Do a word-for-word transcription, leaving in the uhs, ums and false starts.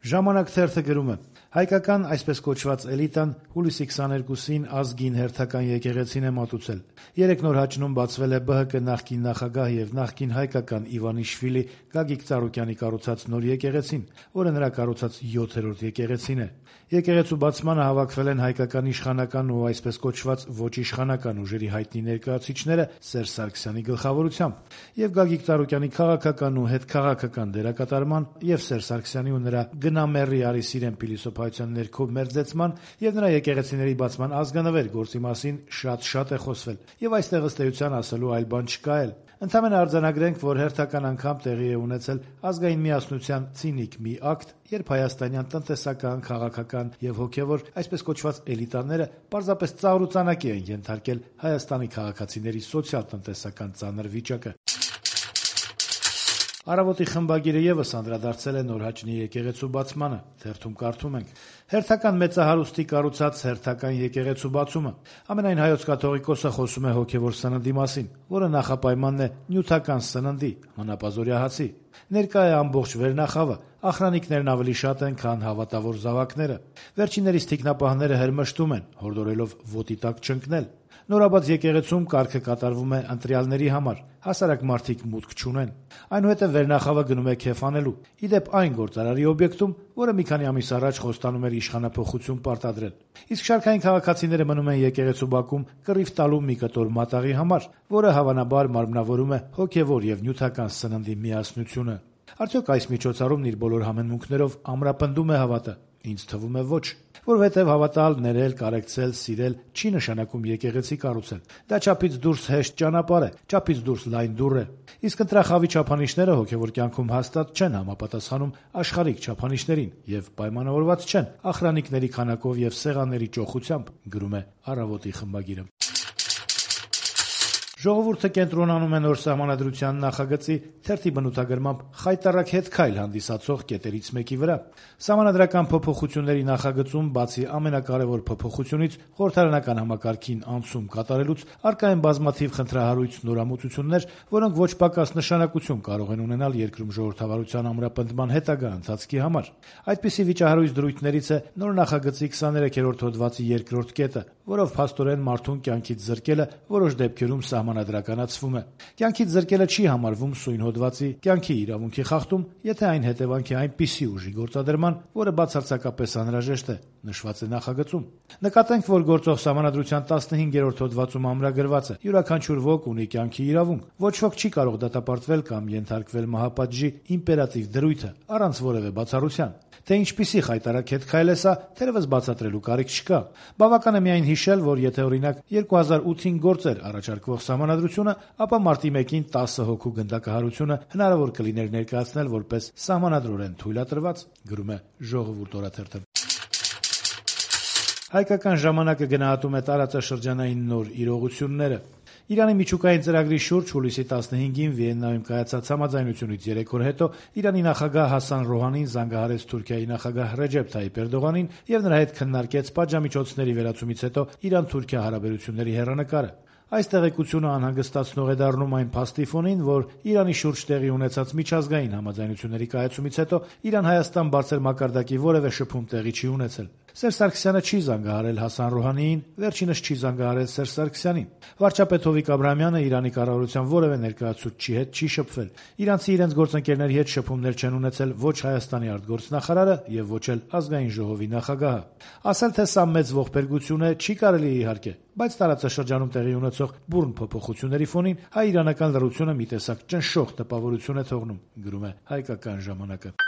Ժամանակ թերթը գրում է. հայկական այսպես կոչված էլիտան հուլիսի քսաներկուսին ազգին հերթական եկեղեցին է մատուցել։ Երեք նոր հաճնում բացվել է ԲՀԿ նախկին նախագահ եւ նախկին հայկական Իվանիշվիլի Գագիկ Ծառուկյանի կառուցած նոր եկեղեցին, որը նրա կառուցած յոթերորդ եկեղեցին է։ Եկեղեցու բացմանը հավաքվել են հայկական իշխանական ու այսպես կոչված ոչ իշխանական ուժերի հայտնի ներկայացուցիչները Սերժ Սարգսյանի գլխավորությամբ, եւ Գագիկ Ծառուկյանի քաղաքական ու հետքաղաքական դերակատարման եւ Սերժ Սարգսյանի ու նրա գնամեռի Արիսիրեն փիլիսոփայության ներքո մերձեցման եւ նրա եկեղեցիների բացման ազգանվեր գործի մասին շատ-շատ է խոսվել, եւ այստեղ ըստ էության ասելու այլ բան չկա էլ։ Ընդհանրապես արձանագրենք, որ հերթական անգամ տեղի է ունեցել ազգային միասնության ցինիկ մի ակտ, երբ հայաստանյան տնտեսական, քաղաքական եւ հոգեվոր այսպես կոչված էլիտաները պարզապես ծաղրուծանակի են ենթարկել Հայաստանի քաղաքացիների սոցիալ-տնտեսական ծանր վիճակը։ Առավոտի խմբագիրը եւս անդրադարձել է նոր հաճնի եկեղեցու բացմանը, թերթում կարդում ենք. հերթական մեծահարուստի կառուցած հերթական եկեղեցու բացումը։ Ամենայն հայոց կաթողիկոսը խոսում է հոգեվոր սննդի մասին, որը նախապայմանն է նյութական սննդի, հանապազորյա հացի։ Ներկա է ամբողջ վերնախավը, ախրանիկներն ավելի շատ են, քան հավատավոր զավակները։ Վերջիններիս թիկնապահները հրմշտում են, հորդորելով ոտի տակ չընկնել։ Նորաբաց եկեղեցում կարգը կատարվում է ընտրյալների համար, հասարակ մարդիկ մուտք չունեն։ Այնուհետև վերնախավը գնում է քեֆ անելու։ Իդեպ այն գործարարի օբյեկտում, որը մի քանի ամիս առաջ խոստանում էր իշխանափոխություն պարտադրել։ Իսկ շարքային քաղաքացիները մնում են եկեղեցու բակում կռիվ տալու մի կտոր մատաղի համար, որը հավանաբար մարմնավորում է հոգևոր եւ նյութական սննդի միասնությունը։ Արդյոք այս միջոցառումն իր բոլոր համեմունքներով ամրապնդում է հավատը։ Ինձ թվում է ոչ, որովհետև հավատալ, ներել, կարեկցել, սիրել չի նշանակում եկեղեցի կառուցել։ Դա չափից դուրս հեշտ ճանապարհ է, չափից դուրս լայն դուռ է։ Իսկ ընտրախավի չափանիշները հոգևոր կյանքում հաստատ չեն համապատասխանում աշխարհիկ չափանիշներին եւ պայմանավորված չեն ախրանիկների քանակով եւ սեղանների ճոխությամբ, գրում է Առավոտի խմբագիրը։ Ժողովուրդը կենտրոնանում է նոր սահմանադրության նախագծի թերթի բնութագրմամբ խայտառակ հետքայլ հանդիսացող կետերից մեկի վրա։ Սահմանադրական փոփոխությունների նախագծում բացի ամենակարևոր փոփոխությունից խորհրդարանական համակարգին անցում կատարելուց առկա են բազմաթիվ խնդրահարույց նորամուծություններ, որոնք ոչ պակաս նշանակություն կարող են ունենալ երկրում ժողովրդավարության ամրապնդման հետագա ընթացքի համար։ Այդպիսի վիճահարույց դրույթներից է նոր նախագծի քսաներեքերորդ հոդվածի երկրորդ կետը, որով փաստորեն մարդուն կյանքից զրկելը որոշ դեպքերում սահմանադրականացվում է։ Կյանքից զրկելը չի համարվում սույն հոդվածի կյանքի իրավունքի խախտում, եթե այն հետևանք է այնպիսի ուժի գործադրման, որը բացարձակապես անհրաժեշտ է, նշված է նախագծում։ Նկատենք, որ գործող սահմանադրության տասնհինգերորդ հոդվածում ամրագրված է. յուրաքանչյուր ոք ունի կյանքի իրավունք, ոչ ոք չի կարող դատապարտվել կամ ենթարկվել մահապատժի իմպերատիվ դրույթը առանց որևէ բացառության։ Թե ինչպիսի խայտառակ հետքայլ է սա, թերևս բացատրելու կարիք չկա։ Բավական է միայն հիշել, որ եթե օրինակ երկու հազար ութին գործեր առաջարկվող սահմանադրությունը, ապա մարտի մեկին տասը հոգու գնդակահարությունը հնարավոր կլիներ ներկայացնել որպես սահմանադրորեն թույլատրված, գրում է Ժողովուրդ օրաթերթը։ Հայկական ժամանակը գնահատում է տարածաշրջանային նոր իրողությունները։ Իրանի միջուկային ծրագրի շուրջ հուլիսի տասնհինգին Վիեննայում կայացած համաձայնությունից երեք օր հետո Իրանի նախագահ Հասան Ռոհանին զանգահարեց Թուրքիայի նախագահ Ռեջեփ Թայիփ Էրդողանին եւ նրա հետ քննարկեց պատժամիջոցների վերացումից հետո Իրան-Թուրքիա հարաբերությունների հեռանկարը։ Այս տեղեկությունը անհանգստացնող է դառնում այն փաստի ֆոնին, որ Իրանի շուրջ տեղի ունեցած միջազգային համաձայնությունների կայացումից հետո Իրան-Հայաստան բարձր մակարդակի որևէ շփում տեղի չի ունեցել։ Սերժ Սարգսյանը չի զանգահարել Հասան Ռոհանիին, վերջինս չի զանգահարել Սերժ Սարգսյանին։ Վարչապետ Հովիկ Աբրահամյանը Իրանի կառավարության որևէ ներկայացուցչի հետ չի շփվել։ Իրանցի իրենց գործընկերների հետ շփումներ չեն ունեցել ոչ Հայաստանի արտգործնախարարը եւ ոչ էլ ազգային ժողովի նախագահը։ Ասել թե սա մեծ ողբերգություն է, չի կարելի իհարկե, բայց տարածաշրջանում տեղի ունեցող բուռն փոփոխությունների ֆոնին հայ-իրանական լռությունը մի տեսակ ճնշող տպավորություն է թողնում, գրում է Հայկական ժամանակը։